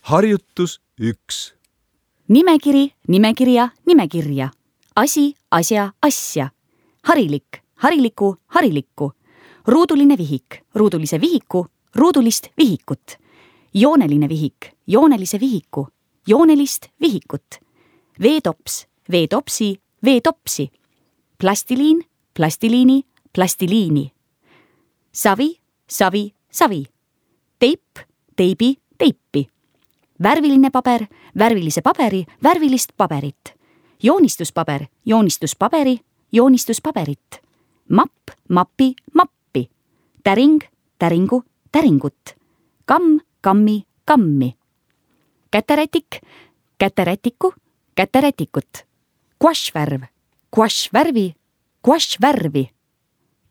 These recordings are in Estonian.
Harjutus 1. Nimekiri, nimekirja, nimekirja. Asi, asja, asja. Harilik, hariliku, harilikku. Ruuduline vihik, ruudulise vihiku, ruudulist vihikut. Jooneline vihik, joonelise vihiku, joonelist vihikut. Veetops, veetopsi, veetopsi. Plastiliin, plastiliini, plastiliini. Savi, savi, savi. Teip, teibi, teipi. Värviline paber, värvilise paberi, värvilist paberit. Joonistuspaber, joonistuspaberi, joonistuspaberit. Mapp, mapi, mappi. Täring, täringu, täringut. Kamm, kammi, kammi. Käterätik, käterätiku, käterätikut. Guašvärv, guašvärvi, guašvärvi.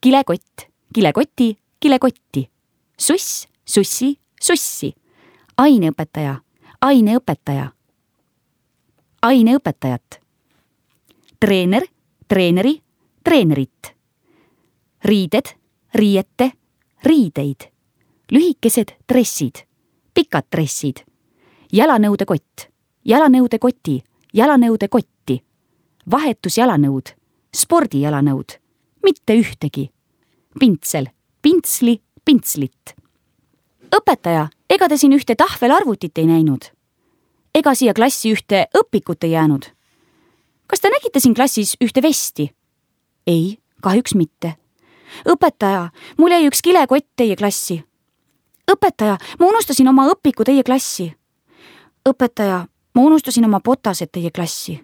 Kilekott, kilekoti, kilekotti. Suss, sussi, sussi. Aineõpetaja, aineõpetaja. Aineõpetajat. Treener, treeneri, treenerit. Riided, riiete, riideid. Lühikesed dressid, pikad dressid. Jalanõude kott, jalanõude koti, jalanõude kotti. Vahetus jalanõud, spordijalanõud, mitte ühtegi. Pintsel, pintsli, pintslit. Õpetaja, ega te siin ühte tahvelarvutit ei näinud? Ega siia klassi ühte õpikut ei jäänud? Kas te nägite siin klassis ühte vesti? Ei, kahjuks mitte. Õpetaja, mul jäi üks kilekott teie klassi. Õpetaja, ma unustasin oma õpiku teie klassi. Õpetaja, ma unustasin oma botased teie klassi.